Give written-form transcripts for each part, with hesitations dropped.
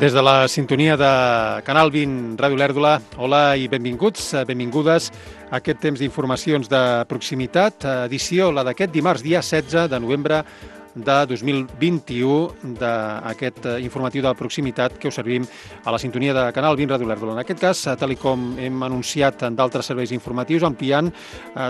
Des de la sintonia de Canal 20 Ràdio Olèrdola, hola i benvinguts, benvingudes a aquest temps d'informacions de proximitat, edició la d'aquest dimarts, dia 16 de novembre de 2021, d'aquest informatiu de proximitat que us servim a la sintonia de Canal 20 Ràdio Olèrdola. En aquest cas, tal com hem anunciat en d'altres serveis informatius, ampliant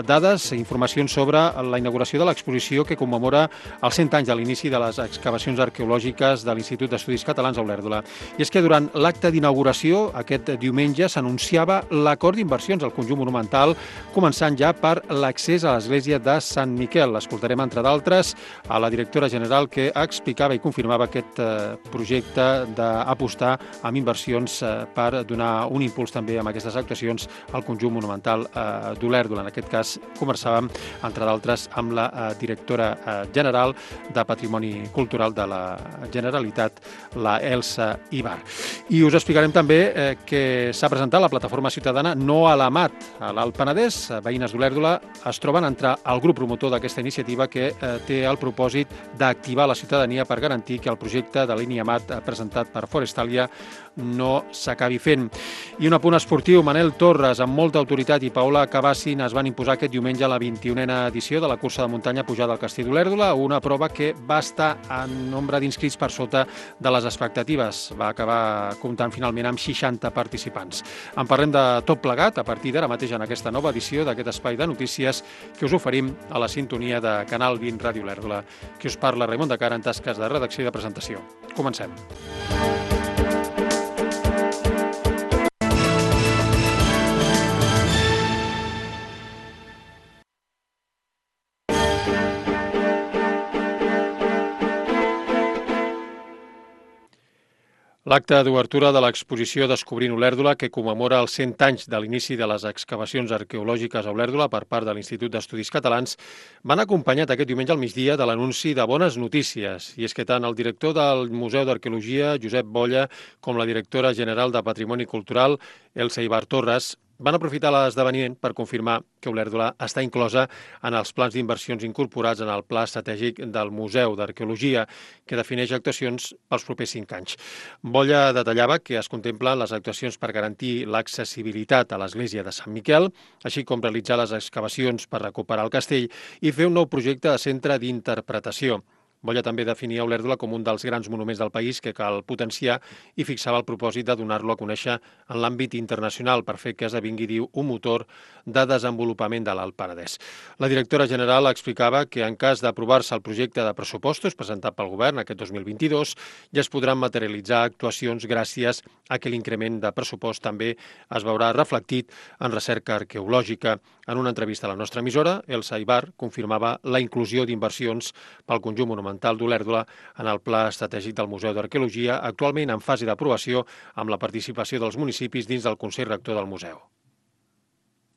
dades i informacions sobre la inauguració de l'exposició que commemora els 100 anys de l'inici de les excavacions arqueològiques de l'Institut d'Estudis Catalans a Olèrdola. I és que durant l'acte d'inauguració, aquest diumenge, s'anunciava l'acord d'inversions al conjunt monumental, començant ja per l'accés a l'església de Sant Miquel. Escoltarem, entre d'altres, a la directora general que explicava i confirmava aquest projecte d'apostar amb inversions per donar un impuls també amb aquestes actuacions al conjunt monumental d'Olèrdola. En aquest cas, conversàvem, entre d'altres, amb la directora general de Patrimoni Cultural de la Generalitat, la Elsa Ibar. I us explicarem també que s'ha presentat la plataforma ciutadana No a l'Amat. A l'Alt Penedès, veïnes d'Olèrdola es troben entre el grup promotor d'aquesta iniciativa que té el propòsit d'activar la ciutadania per garantir que el projecte de línia Amat presentat per Forestalia no s'acabi fent. I un apunt esportiu, Manel Torres, amb molta autoritat, i Paola Cabassin es van imposar aquest diumenge a la 21a edició de la cursa de muntanya pujada al Castell d'Olèrdola, una prova que va estar en nombre d'inscrits per sota de les expectatives. Va acabar comptant finalment amb 60 participants. En parlem de tot plegat a partir d'ara mateix en aquesta nova edició d'aquest espai de notícies que us oferim a la sintonia de Canal 20 Ràdio Olèrdola. Qui us parla, Raimon de Cara, en tasques de redacció i de presentació. Comencem. L'acte d'obertura de l'exposició Descobrint Olèrdola, que commemora els 100 anys de l'inici de les excavacions arqueològiques a Olèrdola per part de l'Institut d'Estudis Catalans, van acompanyat aquest diumenge al migdia de l'anunci de bones notícies. I és que tant el director del Museu d'Arqueologia, Josep Bolla, com la directora general de Patrimoni Cultural, Elsa Ibar Torres, van aprofitar l'esdeveniment per confirmar que Olèrdola està inclosa en els plans d'inversions incorporats en el Pla Estratègic del Museu d'Arqueologia, que defineix actuacions pels propers 5 anys. Bolla detallava que es contemplen les actuacions per garantir l'accessibilitat a l'església de Sant Miquel, així com realitzar les excavacions per recuperar el castell i fer un nou projecte de centre d'interpretació. Bolla també definia Olèrdola com un dels grans monuments del país que cal potenciar i fixava el propòsit de donar-lo a conèixer en l'àmbit internacional per fer que esdevingui, diu, un motor de desenvolupament de l'Alt Penedès. La directora general explicava que en cas d'aprovar-se el projecte de pressupostos presentat pel govern aquest 2022 ja es podran materialitzar actuacions gràcies a que l'increment de pressupost també es veurà reflectit en recerca arqueològica. En una entrevista a la nostra emissora, Elsa Ibar confirmava la inclusió d'inversions pel conjunt monumental d'Olèrdola en el Pla Estratègic del Museu d'Arqueologia, actualment en fase d'aprovació amb la participació dels municipis dins del Consell Rector del Museu.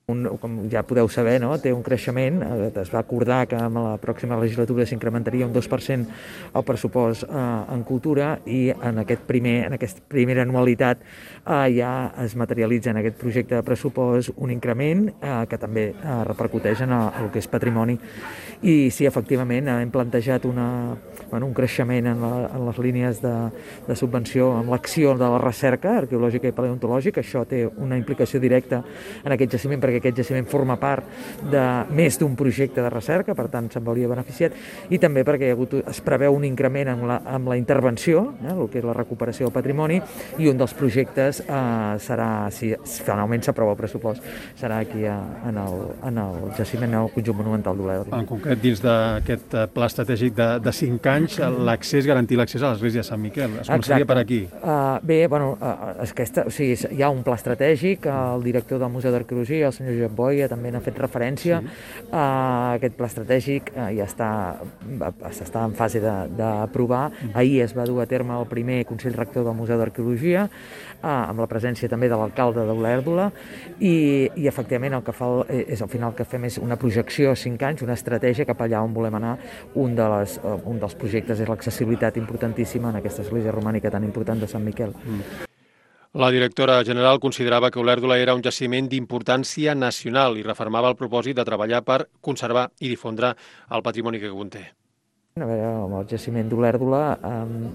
Com ja podeu saber, no? Té un creixement. Es va acordar que en la pròxima legislatura s'incrementaria un 2% el pressupost en cultura i en aquesta primera anualitat ja es materialitza en aquest projecte de pressupost un increment que també repercuteix en el que és patrimoni. I sí, efectivament, hem plantejat un creixement en les línies de subvenció amb l'acció de la recerca arqueològica i paleontològica. Això té una implicació directa en aquest jaciment perquè aquest jaciment forma part de més d'un projecte de recerca, per tant se'n veuria beneficiat, i també perquè es preveu un increment amb la intervenció, el que és la recuperació del patrimoni, i un dels projectes serà, si finalment s'aprova el pressupost, serà aquí en el jaciment, en el conjunt monumental d'Olèrdola. En concret, dins d'aquest pla estratègic de 5 anys, garantir l'accés a l'església de Sant Miquel. Es començaria per aquí. Hi ha un pla estratègic, el director del Museu d'Arqueologia, el senyor Josep Bolla, també n'ha fet referència. Aquest pla estratègic ja està en fase d'aprovar. Ahir es va dur a terme el primer Consell Rector del Museu d'Arqueologia, amb la presència també de l'alcalde d'Olèrdola, i efectivament el que fa és al final que fem és una projecció a 5 anys, una estratègia cap allà on volem anar. Un dels projectes és l'accessibilitat importantíssima en aquesta església romànica tan important de Sant Miquel. La directora general considerava que Olèrdola era un jaciment d'importància nacional i refermava el propòsit de treballar per conservar i difondre el patrimoni que conté. A veure, el jaciment d'Olèrdola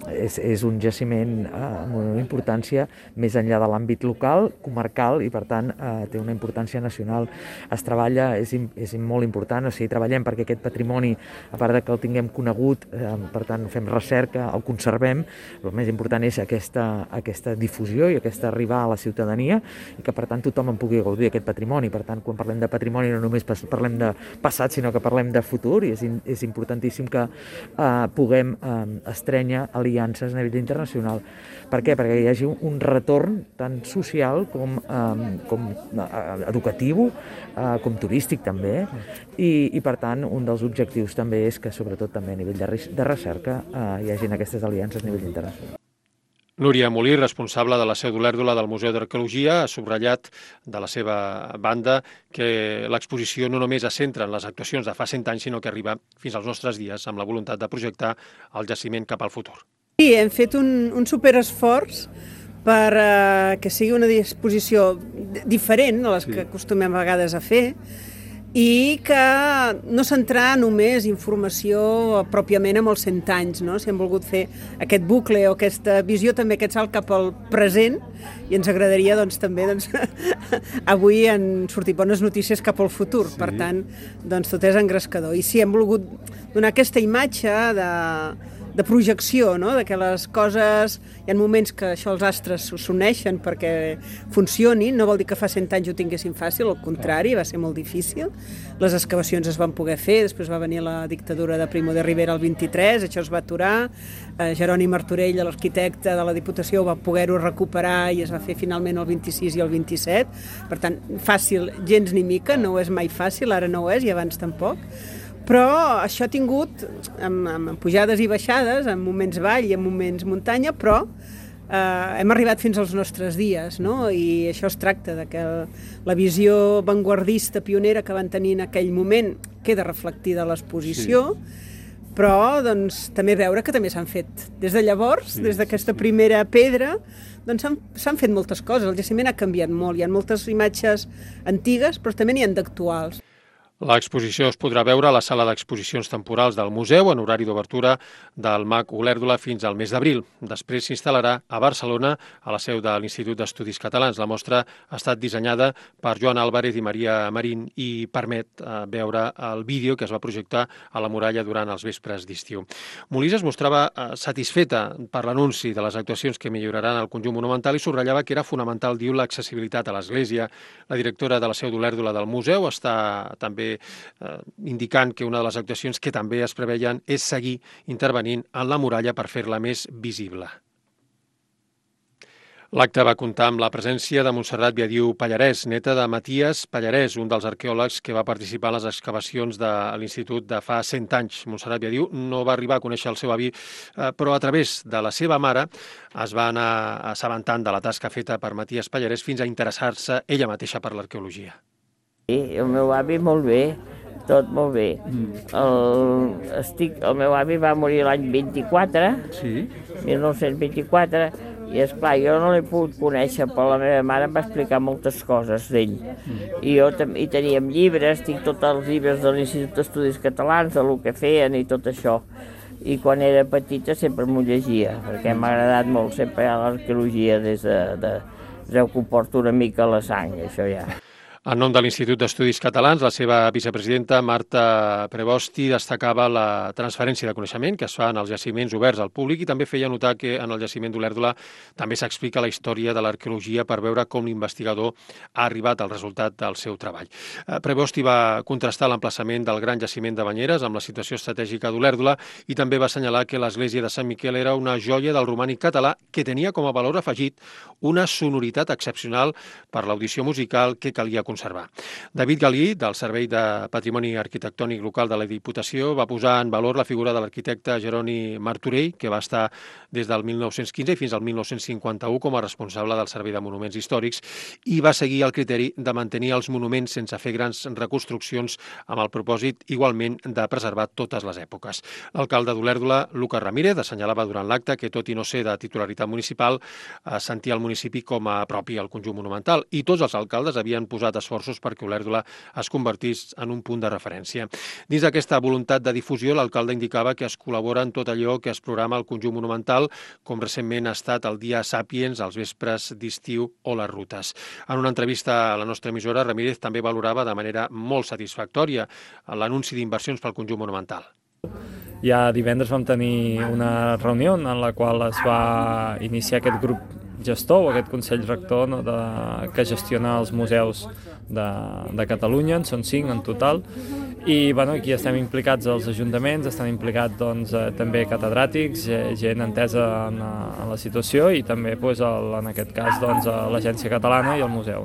és un jaciment amb una importància més enllà de l'àmbit local, comarcal, i per tant té una importància nacional. Es treballa, és molt important, o sigui, treballem perquè aquest patrimoni, a part de que el tinguem conegut, per tant fem recerca, el conservem, el més important és aquesta difusió i aquesta arribar a la ciutadania i que per tant tothom en pugui gaudir d'aquest patrimoni. Per tant, quan parlem de patrimoni no només parlem de passat, sinó que parlem de futur, i és importantíssim que puguem estrènyer aliances a nivell internacional. Per què? Perquè hi hagi un retorn tant social com educatiu, com turístic també, i per tant un dels objectius també és que sobretot també a nivell de recerca hi hagin aquestes aliances a nivell internacional. Núria Molí, responsable de la seu d'Olèrdola del Museu d'Arqueologia, ha subratllat de la seva banda que l'exposició no només es centra en les actuacions de fa 100 anys, sinó que arriba fins als nostres dies amb la voluntat de projectar el jaciment cap al futur. Sí, hem fet un superesforç per que sigui una disposició diferent de les que acostumem a vegades a fer, i que no centrar només informació pròpiament amb els 100 anys, no? Si hem volgut fer aquest bucle o aquesta visió, també aquest salt cap al present, i ens agradaria també avui en sortir bones notícies cap al futur. Sí. Per tant, tot és engrescador. I sí, hem volgut donar aquesta imatge de projecció, no? De que les coses, hi ha moments que això els astres s'uneixen perquè funcionin, no vol dir que fa 100 anys ho tinguessin fàcil, al contrari, va ser molt difícil. Les excavacions es van poder fer, després va venir la dictadura de Primo de Rivera el 23, això es va aturar, Jeroni Martorell, l'arquitecte de la Diputació, va poder-ho recuperar i es va fer finalment el 26 i el 27, per tant, fàcil, gens ni mica, no és mai fàcil, ara no ho és i abans tampoc. Però això ha tingut, amb pujades i baixades, en moments vall i en moments muntanya, però hem arribat fins als nostres dies, no? I això es tracta de que la visió vanguardista, pionera que van tenir en aquell moment queda reflectida a l'exposició, però també veure que també s'han fet. Des de llavors, des d'aquesta primera pedra, s'han fet moltes coses. El jaciment ha canviat molt, hi ha moltes imatges antigues, però també n'hi ha d'actuals. L'exposició es podrà veure a la sala d'exposicions temporals del museu en horari d'obertura del MAC Olèrdola fins al mes d'abril. Després s'instal·larà a Barcelona, a la seu de l'Institut d'Estudis Catalans. La mostra ha estat dissenyada per Joan Álvarez i Maria Marín i permet veure el vídeo que es va projectar a la muralla durant els vespres d'estiu. Molís es mostrava satisfeta per l'anunci de les actuacions que milloraran el conjunt monumental i subratllava que era fonamental, diu, l'accessibilitat a l'església. La directora de la seu d'Olèrdola del museu està també indicant que una de les actuacions que també es preveien és seguir intervenint en la muralla per fer-la més visible. L'acte va comptar amb la presència de Montserrat Viadiu Pallarès, neta de Maties Pallarès, un dels arqueòlegs que va participar en les excavacions de l'Institut de fa 100 anys. Montserrat Viadiu no va arribar a conèixer el seu avi, però a través de la seva mare es va anar assabentant de la tasca feta per Maties Pallarès fins a interessar-se ella mateixa per l'arqueologia. Sí, el meu avi molt bé, tot molt bé. El meu avi va morir l'any 24, 1924, i esclar, jo no l'he pogut conèixer, però la meva mare em va explicar moltes coses d'ell. I teníem llibres, tinc tots els llibres de l'Institut d'Estudis Catalans, de lo que feien i tot això. I quan era petita sempre m'ho llegia, perquè m'ha agradat molt sempre l'arqueologia des que ho porto una mica a la sang, això ja. En nom de l'Institut d'Estudis Catalans, la seva vicepresidenta, Marta Prebosti, destacava la transferència de coneixement que es fa en els jaciments oberts al públic i també feia notar que en el jaciment d'Olèrdola també s'explica la història de l'arqueologia per veure com l'investigador ha arribat al resultat del seu treball. Prebosti va contrastar l'emplaçament del gran jaciment de Banyeres amb la situació estratègica d'Olèrdola i també va assenyalar que l'església de Sant Miquel era una joia del romànic català que tenia com a valor afegit una sonoritat excepcional per l'audició musical que calia conservar. David Galí, del Servei de Patrimoni Arquitectònic Local de la Diputació, va posar en valor la figura de l'arquitecte Jeroni Martorell, que va estar des del 1915 fins al 1951 com a responsable del Servei de Monuments Històrics i va seguir el criteri de mantenir els monuments sense fer grans reconstruccions amb el propòsit igualment de preservar totes les èpoques. L'alcalde d'Olèrdola, Lucas Ramírez, assenyalava durant l'acte que, tot i no ser de titularitat municipal, sentia el municipi com a propi al conjunt monumental i tots els alcaldes havien posat d'esforços perquè Olèrdola es convertís en un punt de referència. Dins d'aquesta voluntat de difusió, l'alcalde indicava que es col·labora en tot allò que es programa al conjunt monumental, com recentment ha estat el Dia Sàpiens, els vespres d'estiu o les rutes. En una entrevista a la nostra emissora, Ramírez també valorava de manera molt satisfactòria l'anunci d'inversions pel conjunt monumental. Ja divendres vam tenir una reunió en la qual es va iniciar aquest grup gestor o aquest Consell Rector que gestiona els museus de Catalunya, en són 5 en total, i aquí estem implicats els ajuntaments, estan implicats també catedràtics, gent entesa en la situació i també en aquest cas l'Agència Catalana i el museu.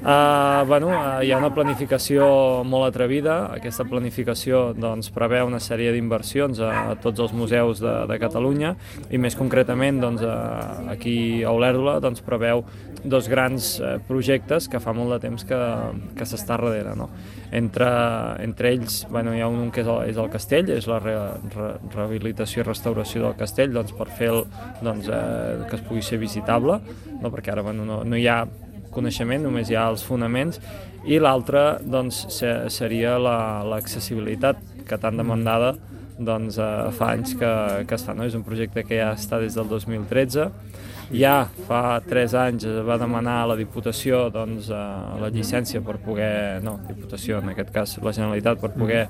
Hi ha una planificació molt atrevida, aquesta planificació preveu una sèrie d'inversions a tots els museus de Catalunya i més concretament aquí a Olèrdola preveu 2 grans projectes que fa molt de temps que s'està darrere. Entre ells hi ha un que és el castell, és la rehabilitació i restauració del castell per fer que es pugui ser visitable, perquè ara no hi ha coneixement, només hi ha els fonaments, i l'altre seria l'accessibilitat, que tan demandada fa anys que es fa. És un projecte que ja està des del 2013. Ja fa 3 anys es va demanar a la Diputació la llicència per poder, Diputació en aquest cas, la Generalitat, per poder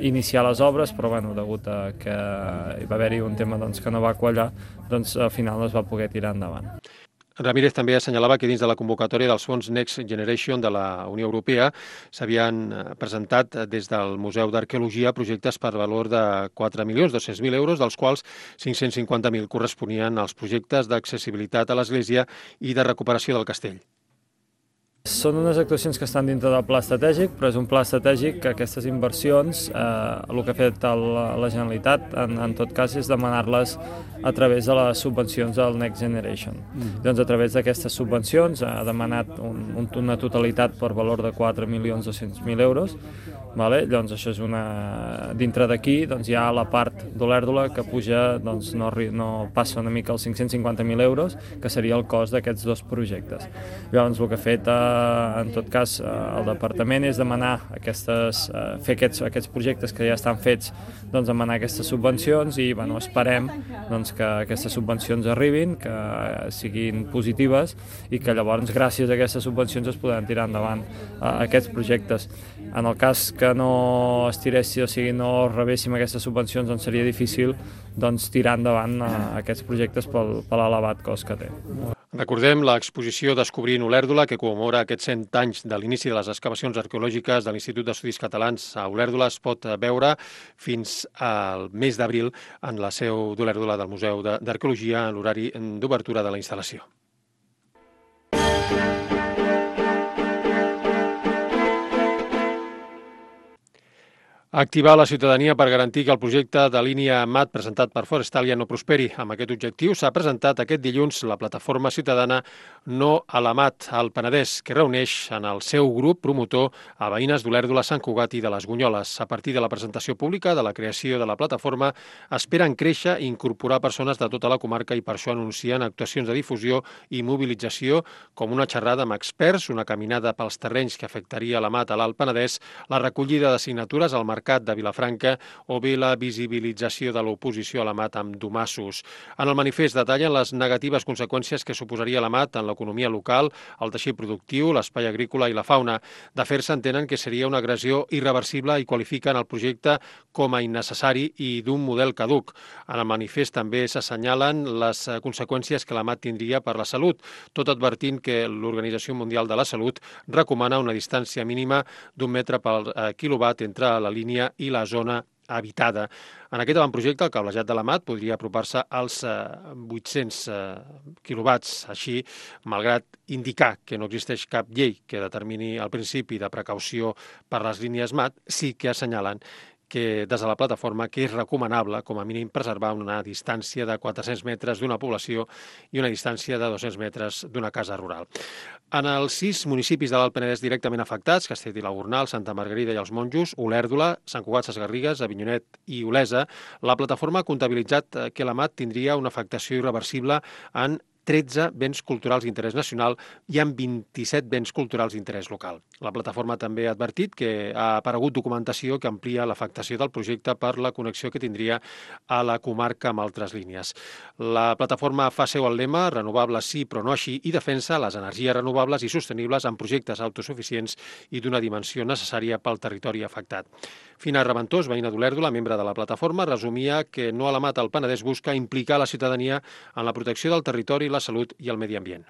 iniciar les obres, però degut a que hi va haver-hi un tema que no va quallar, al final no es va poder tirar endavant. Ramírez també assenyalava que dins de la convocatòria dels fons Next Generation de la Unió Europea s'havien presentat des del Museu d'Arqueologia projectes per valor de 4.200.000 euros, dels quals 550.000 corresponien als projectes d'accessibilitat a l'església i de recuperació del castell. Són unes actuacions que estan dintre del pla estratègic, però és un pla estratègic que aquestes inversions, el que ha fet la Generalitat, en tot cas, és demanar-les a través de les subvencions del Next Generation. Doncs a través d'aquestes subvencions ha demanat una totalitat per valor de 4.200.000 euros. Llavors això és dintre d'aquí hi ha la part d'Olèrdola que puja, no passa una mica els 550.000 euros, que seria el cost d'aquests 2 projectes. Llavors el que ha fet en tot cas el departament és demanar fer aquests projectes que ja estan fets, demanar aquestes subvencions i esperem que aquestes subvencions arribin, que siguin positives i que llavors gràcies a aquestes subvencions es podran tirar endavant aquests projectes. En el cas que no es tiressi, o sigui, no rebéssim aquestes subvencions, seria difícil tirar endavant aquests projectes per l'elevat cost que té. Recordem l'exposició Descobrint Olèrdola, que commemora aquests 100 anys de l'inici de les excavacions arqueològiques de l'Institut d'Estudis Catalans a Olèrdola. Es pot veure fins al mes d'abril en la seu d'Olèrdola del Museu d'Arqueologia en l'horari d'obertura de la instal·lació. Activar la ciutadania per garantir que el projecte de línia MAT presentat per Forestalia no prosperi. Amb aquest objectiu s'ha presentat aquest dilluns la plataforma ciutadana No a la MAT al Penedès, que reuneix en el seu grup promotor a veïnes d'Olèrdola, Sant Cugat i de les Gunyoles. A partir de la presentació pública de la creació de la plataforma, esperen créixer i incorporar persones de tota la comarca i per això anuncien actuacions de difusió i mobilització com una xerrada amb experts, una caminada pels terrenys que afectaria la MAT a l'Alt Penedès, la recollida de signatures al Mercat de Vilafranca o bé la visibilització de l'oposició a la MAT amb domassos. En el manifest detallen les negatives conseqüències que suposaria la MAT en l'economia local, el teixit productiu, l'espai agrícola i la fauna. De fer-se entenen que seria una agressió irreversible i qualifiquen el projecte com a innecessari i d'un model caduc. En el manifest també s'assenyalen les conseqüències que la MAT tindria per la salut, tot advertint que l'Organització Mundial de la Salut recomana una distància mínima d'1 metre per quilowatt entre la línia i la zona habitada. En aquest avantprojecte, el cablejat de la MAT podria apropar-se als 800 quilowatts. Així, malgrat indicar que no existeix cap llei que determini el principi de precaució per les línies MAT, sí que assenyalen que des de la plataforma que és recomanable, com a mínim, preservar una distància de 400 metres d'una població i una distància de 200 metres d'una casa rural. En els 6 municipis de l'Alt Penedès directament afectats, Castell i la Gornal, Santa Margarida i els Monjos, Olèrdola, Sant Cugat, Ses Garrigues, Avinyonet i Olesa, la plataforma ha comptabilitzat que la MAT tindria una afectació irreversible en 13 béns culturals d'interès nacional i amb 27 béns culturals d'interès local. La plataforma també ha advertit que ha aparegut documentació que amplia l'afectació del projecte per la connexió que tindria a la comarca amb altres línies. La plataforma fa seu el lema "Renovables sí, però no així" i defensa les energies renovables i sostenibles en projectes autosuficients i d'una dimensió necessària pel territori afectat. Fina Reventós, veïna d'Olèrdola, membre de la plataforma, resumia que No a la Mata al Penedès busca implicar la ciutadania en la protecció del territori, la salut i el medi ambient.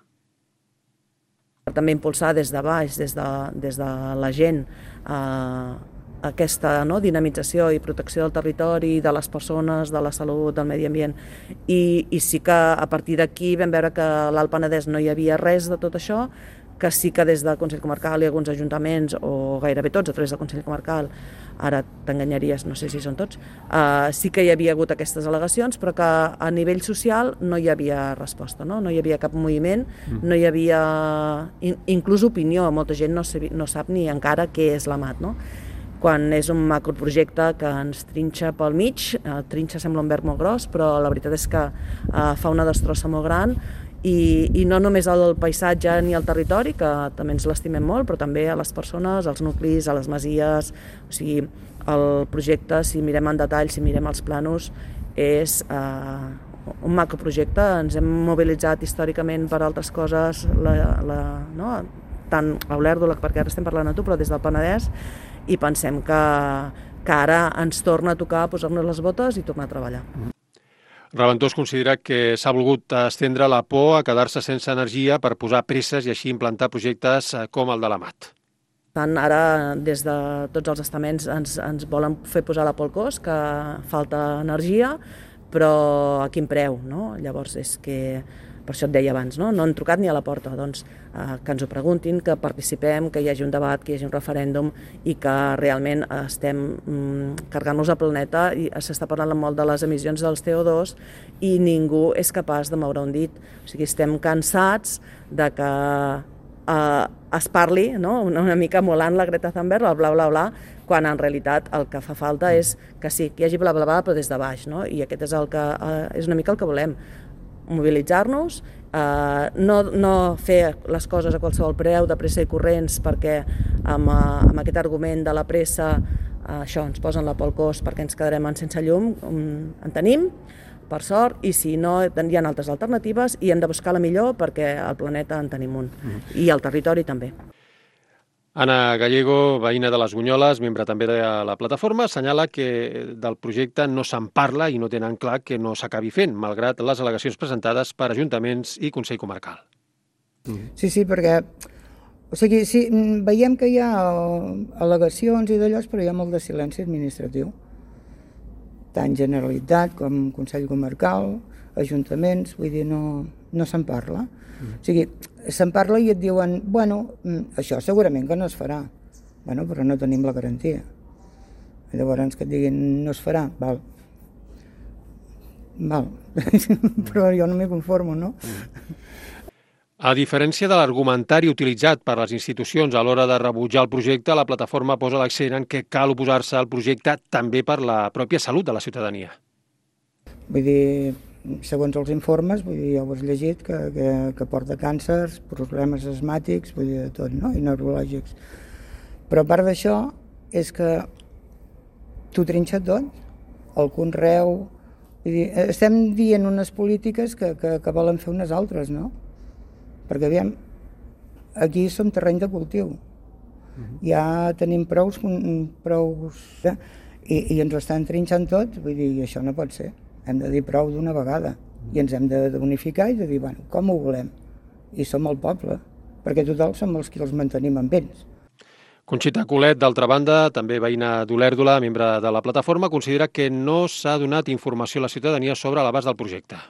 També impulsar des de baix, des de la gent, aquesta dinamització i protecció del territori, de les persones, de la salut, del medi ambient. I sí que a partir d'aquí vam veure que a l'Alt Penedès no hi havia res de tot això, que sí que des del Consell Comarcal i alguns ajuntaments, o gairebé tots a través del Consell Comarcal, ara t'enganyaries, no sé si són tots, sí que hi havia hagut aquestes al·legacions, però que a nivell social no hi havia resposta, no hi havia cap moviment, no hi havia inclús opinió, molta gent no sap ni encara què és l'AMAT, no? Quan és un macroprojecte que ens trinxa pel mig, trinxa sembla un verb molt gros, però la veritat és que fa una destrossa molt gran, i no només al paisatge ni al territori, que també ens l'estimem molt, però també a les persones, als nuclis, a les masies. O sigui, el projecte, si mirem en detall, si mirem els planos, és un macroprojecte. Ens hem mobilitzat històricament per altres coses, tant a Olèrdola, perquè ara estem parlant a tu, però des del Penedès, i pensem que ara ens torna a tocar posar-nos les botes i tornar a treballar. Reventós considera que s'ha volgut estendre la por a quedar-se sense energia per posar presses i així implantar projectes com el de l'AMAT. Ara, des de tots els estaments, ens volen fer posar la por al cos, que falta energia, però a quin preu, no? Llavors, és que, per això et deia abans, no han trucat ni a la porta, doncs que ens ho preguntin, que participem, que hi hagi un debat, que hi hagi un referèndum i que realment estem carregant-nos el planeta i s'està parlant molt de les emissions dels CO2 i ningú és capaç de moure un dit. O sigui, estem cansats de que es parli, no? Una mica emulant la Greta Thunberg, el bla bla bla, quan en realitat el que fa falta és que sí, que hi hagi bla bla bla, però des de baix, no? I aquest és una mica el que volem, mobilitzar-nos, no fer les coses a qualsevol preu, de pressa i corrents, perquè amb aquest argument de la pressa això ens posen la por al cos perquè ens quedarem sense llum, en tenim, per sort, i si no hi ha altres alternatives i hem de buscar la millor perquè al planeta en tenim un, i al territori també. Ana Gallego, veïna de les Bunyoles, membre també de la plataforma, assenyala que del projecte no se'n parla i no tenen clar que no s'acabi fent, malgrat les al·legacions presentades per ajuntaments i Consell Comarcal. Sí, perquè sí, veiem que hi ha al·legacions i d'allò, però hi ha molt de silenci administratiu. Tant Generalitat com Consell Comarcal, ajuntaments, vull dir, no se'n parla. O sigui, se'n parla i et diuen, bueno, això segurament que no es farà. Bueno, però no tenim la garantia. Llavors que et diguin no es farà, val. Però jo no m'hi conformo, no? A diferència de l'argumentari utilitzat per les institucions a l'hora de rebutjar el projecte, la plataforma posa l'accent en que cal oposar-se al projecte també per la pròpia salut de la ciutadania. Vull dir, segons els informes, vull dir, ja ho has llegit, que porta càncers, problemes asmàtics, vull dir, de tot, no? I neurològics. Però a part d'això, és que t'ho trinxa tot, el conreu. Vull dir, estem dient unes polítiques que volen fer unes altres, no? Perquè, aviam, aquí som terreny de cultiu. Ja tenim prous i ens ho estan trinxant tot, vull dir, això no pot ser. Hem de dir prou d'una vegada i ens hem d'unificar i de dir, bueno, com ho volem? I som el poble, perquè total som els qui els mantenim amb ells. Conxita Colet, d'altra banda, també veïna d'Olèrdola, membre de la plataforma, considera que no s'ha donat informació a la ciutadania sobre l'abast del projecte.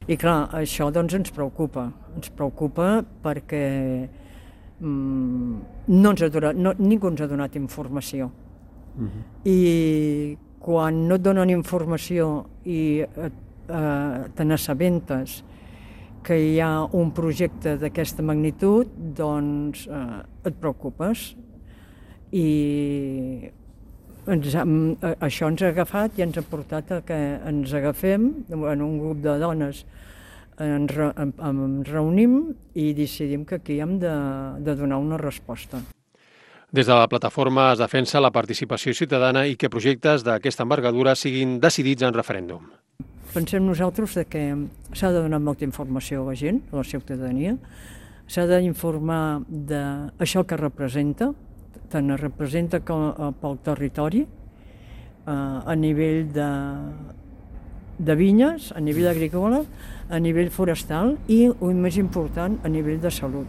I clar, això doncs ens preocupa perquè ningú ens ha donat informació. I quan no et donen informació i te n'assabentes que hi ha un projecte d'aquesta magnitud, doncs et preocupes. I això ens ha agafat i ens ha portat a que ens agafem en un grup de dones ens reunim i decidim que aquí hem de donar una resposta. Des de la plataforma es defensa la participació ciutadana i que projectes d'aquesta envergadura siguin decidits en referèndum. Pensem nosaltres que s'ha de donar molta informació a la gent, a la ciutadania, s'ha d'informar d'això que representa, tant es representa pel territori, a nivell de vinyes, a nivell agrícola, a nivell forestal i, el més important, a nivell de salut.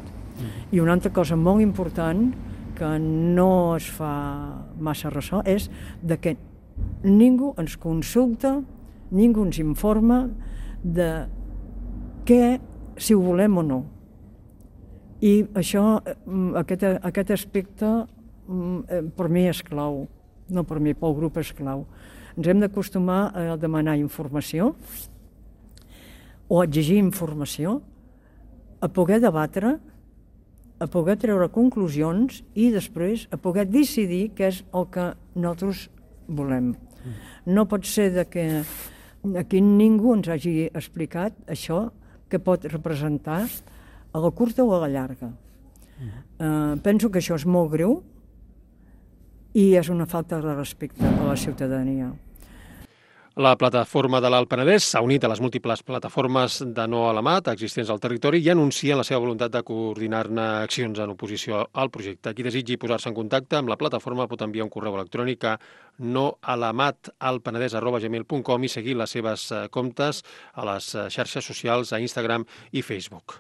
I una altra cosa molt important que no es fa massa ressò és que ningú ens consulta, ningú ens informa de si ho volem o no. I això, aquest aspecte, per mi és clau, no per mi, pel grup és clau. Ens hem d'acostumar a demanar informació o a exigir informació, a poder debatre, a poder treure conclusions i després a poder decidir què és el que nosaltres volem. No pot ser que aquí ningú ens hagi explicat això que pot representar a la curta o a la llarga. Penso que això és molt greu i és una falta de respecte a la ciutadania. La plataforma de l'Alt Penedès s'ha unit a les múltiples plataformes de no a la mat existents al territori i anuncia la seva voluntat de coordinar-ne accions en oposició al projecte. Qui desitgi posar-se en contacte amb la plataforma pot enviar un correu electrònic a noalamat@penedès.gmail.com i seguir les seves comptes a les xarxes socials a Instagram i Facebook.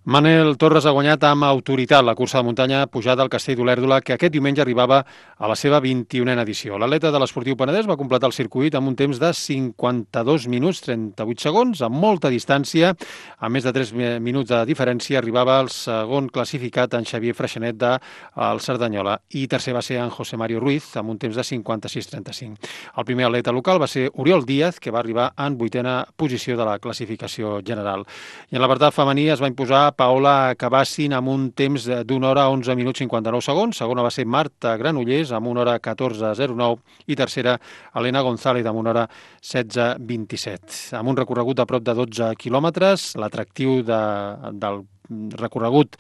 Manel Torres ha guanyat amb autoritat la cursa de muntanya pujada al Castell d'Olèrdola, que aquest diumenge arribava a la seva 21a edició. L'atleta de l'Esportiu Penedès va completar el circuit amb un temps de 52 minuts 38 segons, amb molta distància. A més de 3 minuts de diferència arribava el segon classificat, en Xavier Freixanet del Cerdanyola, i tercer va ser en José Mario Ruiz, amb un temps de 56-35. El primer atleta local va ser Oriol Díaz, que va arribar en 8a posició de la classificació general. I en l'apartat femení es va imposar Paola Cabassin amb un temps d'una hora 11 minuts 59 segons. Segona va ser Marta Granollers amb una hora 14:09 i tercera Elena González amb una hora 16:27. Amb un recorregut de prop de 12 quilòmetres, l'atractiu del recorregut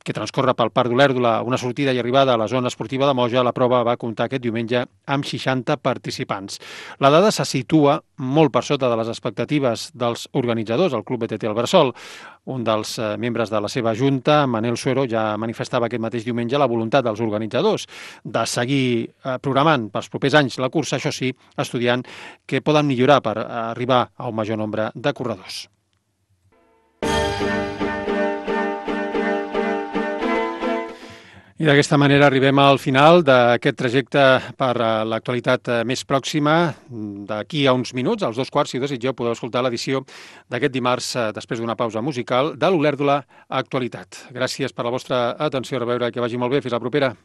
que transcorre pel Parc d'Olèrdola, una sortida i arribada a la zona esportiva de Moja, la prova va comptar aquest diumenge amb 60 participants. La dada se situa molt per sota de les expectatives dels organitzadors, el Club BTT Albersol. Un dels membres de la seva junta, Manel Suero, ja manifestava aquest mateix diumenge la voluntat dels organitzadors de seguir programant pels propers anys la cursa, això sí, estudiant què poden millorar per arribar a un major nombre de corredors. I d'aquesta manera arribem al final d'aquest trajecte per l'actualitat més pròxima. D'aquí a uns minuts, als 2:15, si ho desitgeu, podeu escoltar l'edició d'aquest dimarts, després d'una pausa musical, de l'Olèrdola Actualitat. Gràcies per la vostra atenció, a reveure, que vagi molt bé. Fins la propera.